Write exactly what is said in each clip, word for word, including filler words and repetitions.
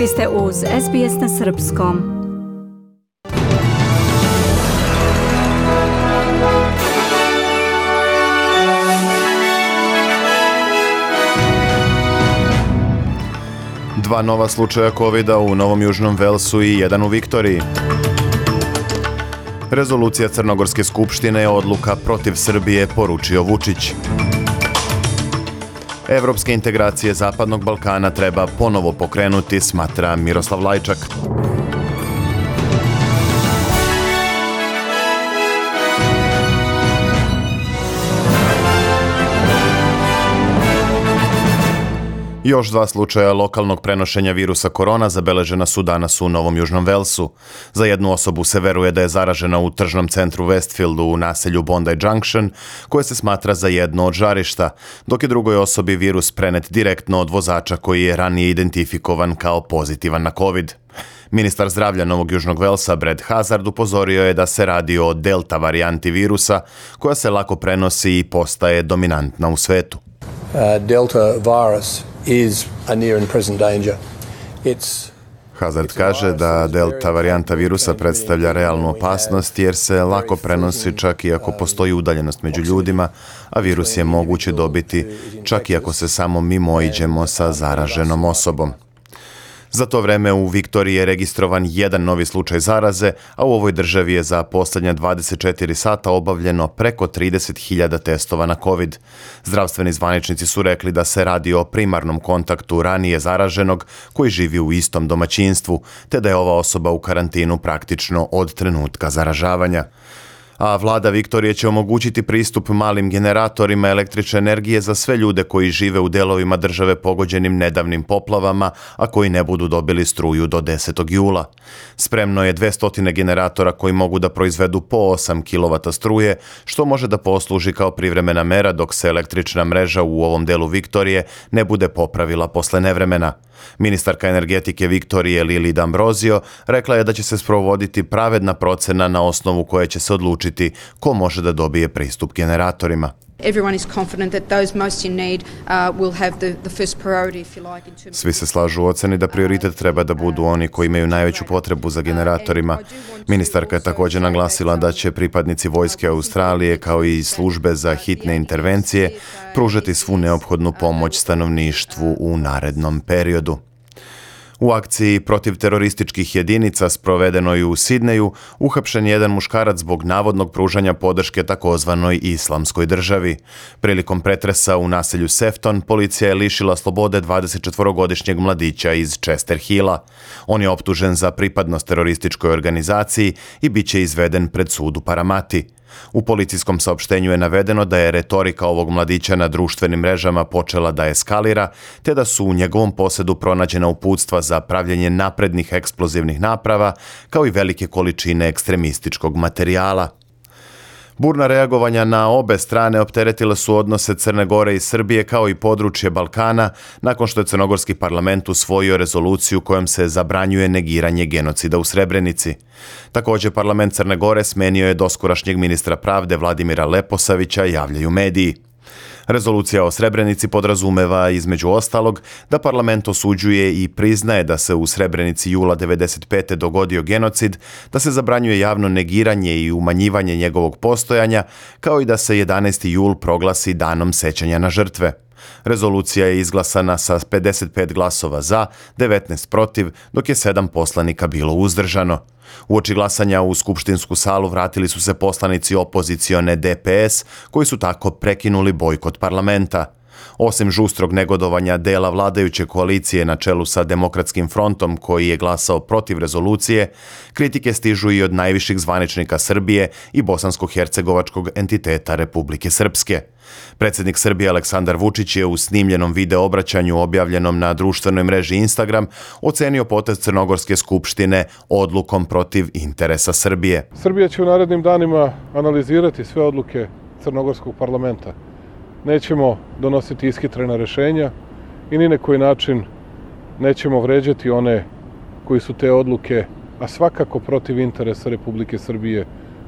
Vi ste uz S B S na srpskom. Dva nova slučaja kovida u Novom Južnom Velsu i jedan u Viktoriji. Rezolucija Crnogorske skupštine je odluka protiv Srbije, poručio Vučić. Evropske integracije Zapadnog Balkana treba ponovo pokrenuti, smatra Miroslav Lajčak. Još dva slučaja lokalnog prenošenja virusa korona zabeležena su danas u Novom Južnom Velsu. Za jednu osobu se veruje da je zaražena u tržnom centru Westfieldu u naselju Bondi Junction, koje se smatra za jedno od žarišta, dok je drugoj osobi virus prenet direktno od vozača koji je ranije identifikovan kao pozitivan na COVID. Ministar zdravlja Novog Južnog Velsa Brad Hazard upozorio je da se radi o delta varijanti virusa koja se lako prenosi i postaje dominantna u svetu. Uh, delta virus is a near and present danger. It's Hazard kaže da delta varijanta virusa predstavlja realnu opasnost jer se lako prenosi čak i ako postoji udaljenost među ljudima, a virus je moguće dobiti čak i ako se samo mimoiđemo sa zaraženom osobom. Za to vreme u Viktoriji je registrovan jedan novi slučaj zaraze, a u ovoj državi je za posljednja dvadeset četiri sata obavljeno preko trideset hiljada testova na COVID. Zdravstveni zvaničnici su rekli da se radi o primarnom kontaktu ranije zaraženog koji živi u istom domaćinstvu, te da je ova osoba u karantinu praktično od trenutka zaražavanja. A vlada Viktorije će omogućiti pristup malim generatorima električne energije za sve ljude koji žive u delovima države pogođenim nedavnim poplavama, a koji ne budu dobili struju do desetog jula. Spremno je dvesta generatora koji mogu da proizvedu po osam kilovata struje, što može da posluži kao privremena mera dok se električna mreža u ovom delu Viktorije ne bude popravila posle nevremena. Ministarka energetike Viktorije Lili D'Ambrosio rekla je da će se sprovoditi pravedna procena na osnovu koje će se odlučiti ko može da dobije pristup generatorima. Svi se slažu u oceni da prioritet treba da budu oni koji imaju najveću potrebu za generatorima. Ministarka je također naglasila da će pripadnici vojske Australije kao i službe za hitne intervencije pružati svu neophodnu pomoć stanovništvu u narednom periodu. U akciji protiv terorističkih jedinica sprovedenoj u Sidneju uhapšen je jedan muškarac zbog navodnog pružanja podrške takozvanoj islamskoj državi. Prilikom pretresa u naselju Sefton, policija je lišila slobode dvadesetčetvorogodišnjeg mladića iz Chester Hilla. On je optužen za pripadnost terorističkoj organizaciji i bit će izveden pred sud u Paramati. U policijskom saopštenju je navedeno da je retorika ovog mladića na društvenim mrežama počela da eskalira, te da su u njegovom posedu pronađena uputstva za pravljenje naprednih eksplozivnih naprava, kao i velike količine ekstremističkog materijala. Burna reagovanja na obe strane opteretile su odnose Crne Gore i Srbije kao i područje Balkana nakon što je crnogorski parlament usvojio rezoluciju kojom se zabranjuje negiranje genocida u Srebrenici. Također parlament Crne Gore smenio je doskorašnjeg ministra pravde Vladimira Leposavića, javljaju mediji. Rezolucija o Srebrenici podrazumeva, između ostalog, da parlament osuđuje i priznaje da se u Srebrenici jula devedeset pete dogodio genocid, da se zabranjuje javno negiranje i umanjivanje njegovog postojanja, kao i da se jedanaesti jul proglasi danom sećanja na žrtve. Rezolucija je izglasana sa pedeset pet glasova za, devetnaest protiv, dok je sedam poslanika bilo uzdržano. Uoči glasanja u skupštinsku salu vratili su se poslanici opozicione D P S, koji su tako prekinuli bojkot parlamenta. Osim žustrog negodovanja dela vladajuće koalicije na čelu sa Demokratskim frontom koji je glasao protiv rezolucije, kritike stižu i od najviših zvaničnika Srbije i bosansko-hercegovačkog entiteta Republike Srpske. Predsjednik Srbije Aleksandar Vučić je u snimljenom video obraćanju objavljenom na društvenoj mreži Instagram ocenio potez Crnogorske skupštine odlukom protiv interesa Srbije. Srbija će u narednim danima analizirati sve odluke Crnogorskog parlamenta. Nećemo donositi ishitrena rješenja i ni na koji način nećemo vređati one koji su te odluke, a svakako protiv interesa Republike Srbije,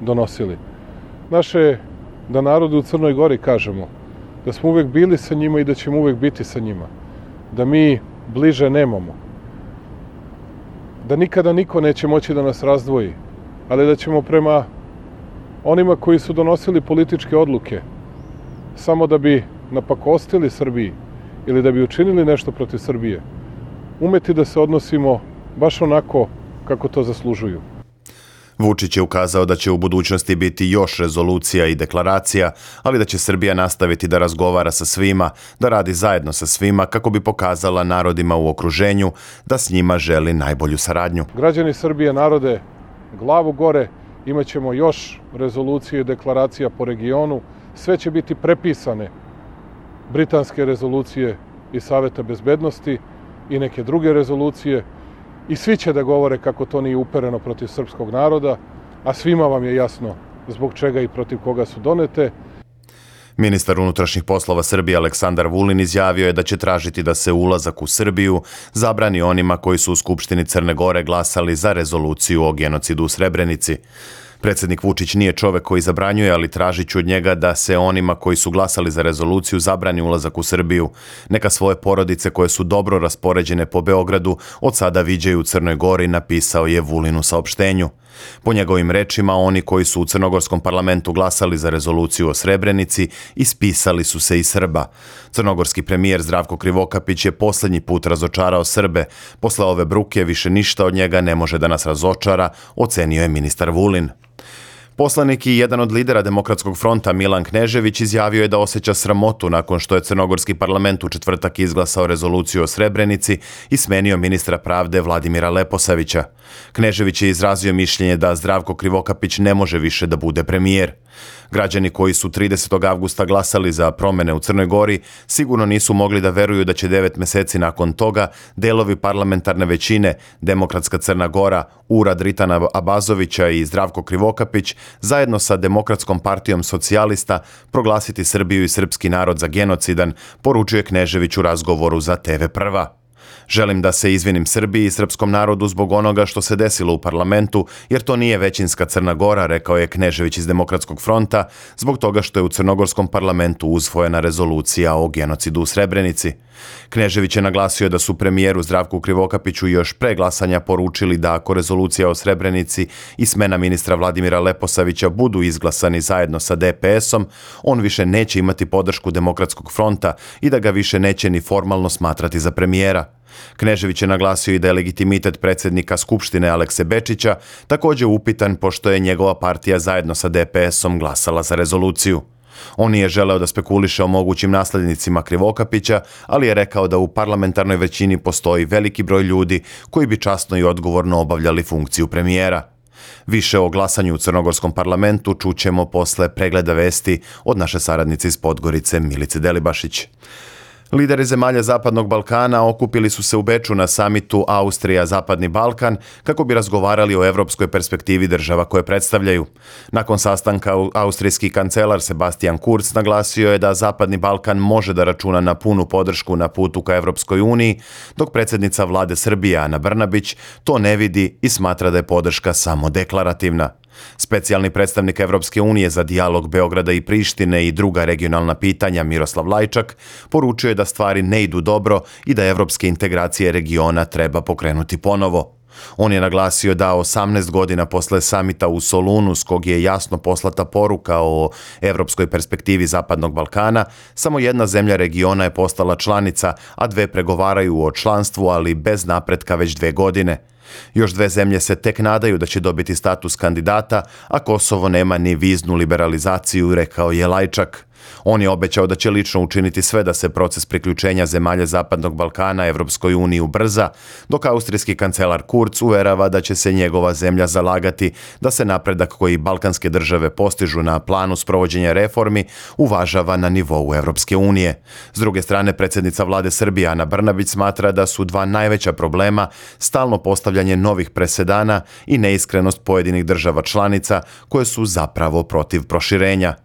donosili. Naše je da narodu u Crnoj Gori kažemo da smo uvek bili sa njima i da ćemo uvek biti sa njima. Da mi bliže nemamo. da nikada niko neće moći da nas razdvoji, ali da ćemo prema onima koji su donosili političke odluke samo da bi napakostili Srbiji ili da bi učinili nešto protiv Srbije, umeti da se odnosimo baš onako kako to zaslužuju. Vučić je ukazao da će u budućnosti biti još rezolucija i deklaracija, ali da će Srbija nastaviti da razgovara sa svima, da radi zajedno sa svima kako bi pokazala narodima u okruženju da s njima želi najbolju saradnju. Građani Srbije, narode, glavu gore, imat ćemo još rezolucije i deklaracija po regionu. Sve će biti prepisane britanske rezolucije i Saveta bezbednosti i neke druge rezolucije. I svi će da govore kako to nije upereno protiv srpskog naroda, a svima vam je jasno zbog čega i protiv koga su donete. Ministar unutrašnjih poslova Srbije Aleksandar Vulin izjavio je da će tražiti da se ulazak u Srbiju zabrani onima koji su u Skupštini Crne Gore glasali za rezoluciju o genocidu u Srebrenici. Predsjednik Vučić nije čovek koji zabranjuje, ali tražit ću od njega da se onima koji su glasali za rezoluciju zabrani ulazak u Srbiju. Neka svoje porodice koje su dobro raspoređene po Beogradu od sada viđaju u Crnoj Gori, napisao je Vulin u saopštenju. Po njegovim rečima, oni koji su u crnogorskom parlamentu glasali za rezoluciju o Srebrenici ispisali su se iz Srba. Crnogorski premijer Zdravko Krivokapić je posljednji put razočarao Srbe. Posle ove bruke više ništa od njega ne može da nas razočara, ocenio je ministar Vulin. Poslanik i jedan od lidera Demokratskog fronta Milan Knežević izjavio je da osjeća sramotu nakon što je crnogorski parlament u četvrtak izglasao rezoluciju o Srebrenici i smenio ministra pravde Vladimira Leposavića. Knežević je izrazio mišljenje da Zdravko Krivokapić ne može više da bude premijer. Građani koji su tridesetog avgusta glasali za promene u Crnoj Gori sigurno nisu mogli da veruju da će devet meseci nakon toga delovi parlamentarne većine, Demokratska Crna Gora, Urad Ritana Abazovića i Zdravko Krivokapić, zajedno sa Demokratskom partijom socijalista proglasiti Srbiju i srpski narod za genocidan, poručuje Knežević u razgovoru za te ve Prva. Želim da se izvinim Srbiji i srpskom narodu zbog onoga što se desilo u parlamentu, jer to nije većinska Crna Gora, rekao je Knežević iz Demokratskog fronta, zbog toga što je u crnogorskom parlamentu usvojena rezolucija o genocidu u Srebrenici. Knežević je naglasio da su premijeru Zdravku Krivokapiću još pre glasanja poručili da ako rezolucija o Srebrenici i smena ministra Vladimira Leposavića budu izglasani zajedno sa de pe esom, on više neće imati podršku Demokratskog fronta i da ga više neće ni formalno smatrati za premijera. Knežević je naglasio i da je legitimitet predsjednika Skupštine Alekse Bečića također upitan pošto je njegova partija zajedno sa de pe esom glasala za rezoluciju. On nije želeo da spekuliše o mogućim naslednicima Krivokapića, ali je rekao da u parlamentarnoj većini postoji veliki broj ljudi koji bi časno i odgovorno obavljali funkciju premijera. Više o glasanju u crnogorskom parlamentu čućemo posle pregleda vesti od naše saradnice iz Podgorice Milice Delibašić. Lideri zemalja Zapadnog Balkana okupili su se u Beču na samitu Austrija-Zapadni Balkan kako bi razgovarali o evropskoj perspektivi država koje predstavljaju. Nakon sastanka austrijski kancelar Sebastian Kurz naglasio je da Zapadni Balkan može da računa na punu podršku na putu ka Evropskoj uniji, dok predsjednica vlade Srbije Ana Brnabić to ne vidi i smatra da je podrška samo deklarativna. Specijalni predstavnik Evropske unije za dijalog Beograda i Prištine i druga regionalna pitanja Miroslav Lajčak poručio je da stvari ne idu dobro i da evropske integracije regiona treba pokrenuti ponovo. On je naglasio da osamnaest godina posle samita u Solunu, s kog je jasno poslata poruka o evropskoj perspektivi Zapadnog Balkana, samo jedna zemlja regiona je postala članica, a dve pregovaraju o članstvu, ali bez napretka već dve godine. Još dve zemlje se tek nadaju da će dobiti status kandidata, a Kosovo nema ni viznu liberalizaciju, rekao je Lajčak. On je obećao da će lično učiniti sve da se proces priključenja zemalja Zapadnog Balkana Evropskoj uniji ubrza, dok austrijski kancelar Kurz uverava da će se njegova zemlja zalagati da se napredak koji balkanske države postižu na planu sprovođenja reformi uvažava na nivou Evropske unije. S druge strane, predsjednica vlade Srbije Ana Brnabić smatra da su dva najveća problema stalno postavljanje novih presedana i neiskrenost pojedinih država članica koje su zapravo protiv proširenja.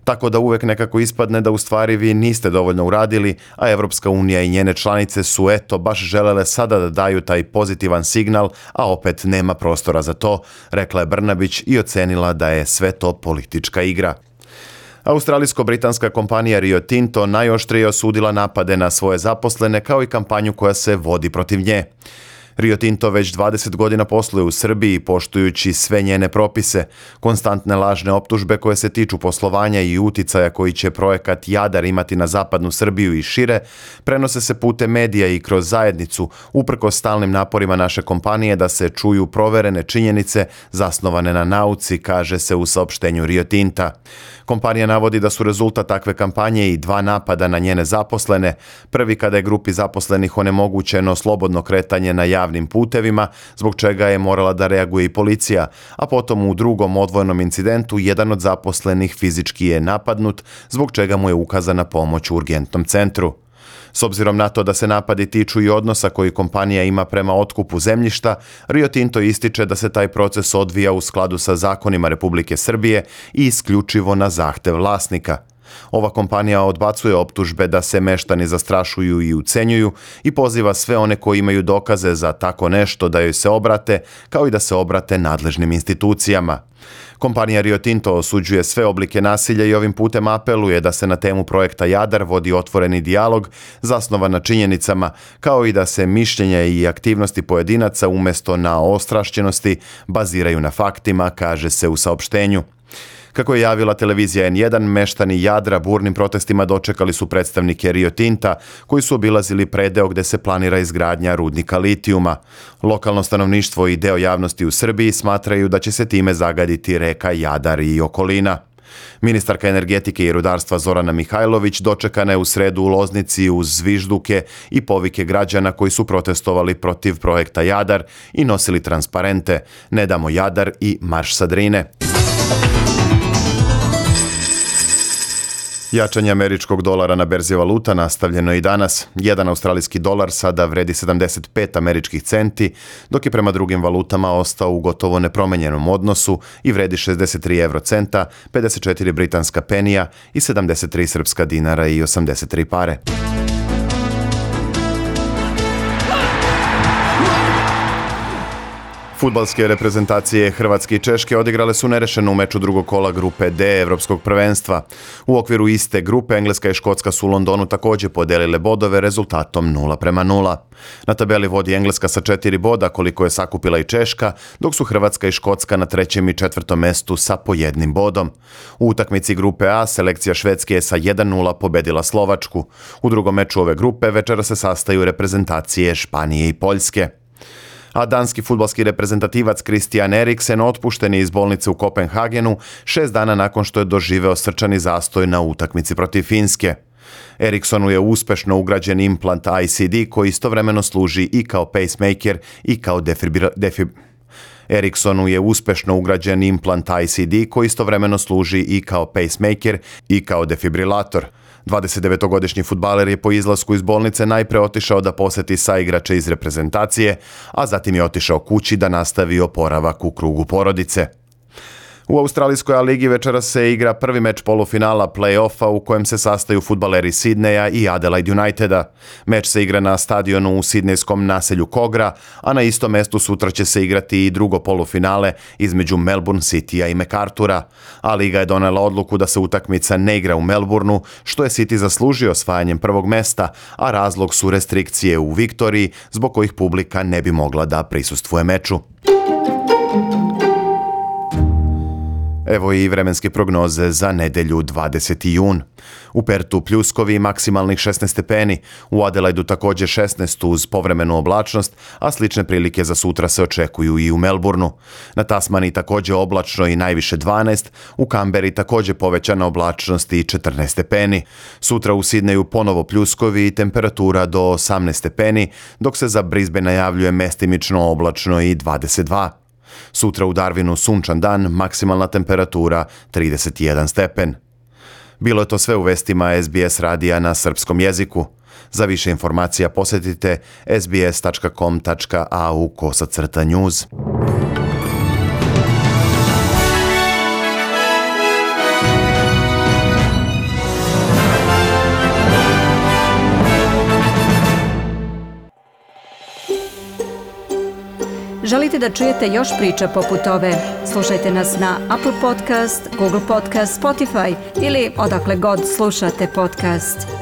Tako da uvek nekako ispadne da u stvari vi niste dovoljno uradili, a Evropska unija i njene članice su eto baš želele sada da daju taj pozitivan signal, a opet nema prostora za to, rekla je Brnabić i ocenila da je sve to politička igra. Australijsko-britanska kompanija Rio Tinto najoštrije osudila napade na svoje zaposlene kao i kampanju koja se vodi protiv nje. Rio Tinto već dvadeset godina posluje u Srbiji poštujući sve njene propise. Konstantne lažne optužbe koje se tiču poslovanja i uticaja koji će projekat Jadar imati na zapadnu Srbiju i šire, prenose se putem medija i kroz zajednicu, uprkos stalnim naporima naše kompanije da se čuju proverene činjenice zasnovane na nauci, kaže se u saopštenju Rio Tinta. Kompanija navodi da su rezultat takve kampanje i dva napada na njene zaposlene, prvi kada je grupi zaposlenih onemogućeno slobodno kretanje na javnim putevima, zbog čega je morala da reaguje i policija, a potom u drugom odvojenom incidentu jedan od zaposlenih fizički je napadnut, zbog čega mu je ukazana pomoć u urgentnom centru. S obzirom na to da se napadi tiču i odnosa koji kompanija ima prema otkupu zemljišta, Rio Tinto ističe da se taj proces odvija u skladu sa zakonima Republike Srbije i isključivo na zahtev vlasnika. Ova kompanija odbacuje optužbe da se meštani zastrašuju i ucenjuju i poziva sve one koji imaju dokaze za tako nešto da joj se obrate, kao i da se obrate nadležnim institucijama. Kompanija Rio Tinto osuđuje sve oblike nasilja i ovim putem apeluje da se na temu projekta Jadar vodi otvoreni dijalog zasnovan na činjenicama, kao i da se mišljenja i aktivnosti pojedinaca umjesto na ostrašćenosti baziraju na faktima, kaže se u saopštenju. Kako je javila televizija en jedan, meštani Jadra burnim protestima dočekali su predstavnike Rio Tinta, koji su obilazili predeo gde se planira izgradnja rudnika litijuma. Lokalno stanovništvo i deo javnosti u Srbiji smatraju da će se time zagaditi reka Jadar i okolina. Ministarka energetike i rudarstva Zorana Mihajlović dočekana je u sredu u Loznici uz zvižduke i povike građana koji su protestovali protiv projekta Jadar i nosili transparente "Ne damo Jadar" i "Marš sa Drine". Jačanje američkog dolara na berzi valuta nastavljeno je i danas. Jedan australijski dolar sada vredi sedamdeset pet američkih centi, dok je prema drugim valutama ostao u gotovo nepromenjenom odnosu i vredi šezdeset tri evrocenta, pedeset četiri britanska penija i sedamdeset tri srpska dinara i osamdeset tri pare. Fudbalske reprezentacije Hrvatske i Češke odigrale su nerešeno u meču drugog kola grupe D Evropskog prvenstva. U okviru iste grupe Engleska i Škotska su u Londonu također podelile bodove rezultatom nula prema nula. Na tabeli vodi Engleska sa četiri boda, koliko je sakupila i Češka, dok su Hrvatska i Škotska na trećem i četvrtom mestu sa po jednim bodom. U utakmici grupe A selekcija Švedske je sa jedan nula pobedila Slovačku. U drugom meču ove grupe večera se sastaju reprezentacije Španije i Poljske. A danski fudbalski reprezentativac Christian Eriksen otpušten je iz bolnice u Kopenhagenu šest dana nakon što je doživeo srčani zastoj na utakmici protiv Finske. Eriksonu je uspešno ugrađen implant I C D koji istovremeno služi i kao pacemaker i kao defibrilator. Defib... Eriksonu je uspešno ugrađen implant I C D koji istovremeno služi i kao pacemaker i kao defibrilator. dvadesetdevetogodišnji fudbaler je po izlasku iz bolnice najpre otišao da poseti saigrače iz reprezentacije, a zatim je otišao kući da nastavi oporavak u krugu porodice. U australijskoj A ligi večera se igra prvi meč polufinala play-offa u kojem se sastaju fudbaleri Sidneja i Adelaide Uniteda. Meč se igra na stadionu u sidnejskom naselju Kogra, a na istom mestu sutra će se igrati i drugo polufinale između Melbourne Citya i MacArthura. A liga je donela odluku da se utakmica ne igra u Melbourneu, što je City zaslužio osvajanjem prvog mesta, a razlog su restrikcije u Viktoriji, zbog kojih publika ne bi mogla da prisustvuje meču. Evo i vremenske prognoze za nedelju dvadeseti jun. U Pertu pljuskovi maksimalnih šesnaest stepeni, u Adelaidu također šesnaest uz povremenu oblačnost, a slične prilike za sutra se očekuju i u Melbourneu. Na Tasmaniji također oblačno i najviše dvanaest, u Kamberi također povećana oblačnost i četrnaest stepeni. Sutra u Sidneju ponovo pljuskovi i temperatura do osamnaest stepeni, dok se za Brisbane najavljuje mestimično oblačno i dvadeset dva. Sutra u Darwinu sunčan dan, maksimalna temperatura trideset jedan stepen. Bilo je to sve u vestima S B S radija na srpskom jeziku. Za više informacija posjetite s b s tačka com tačka a u kosacrta news. Želite da čujete još priča poput ove? Slušajte nas na Apple Podcast, Google Podcast, Spotify ili odakle god slušate podcast.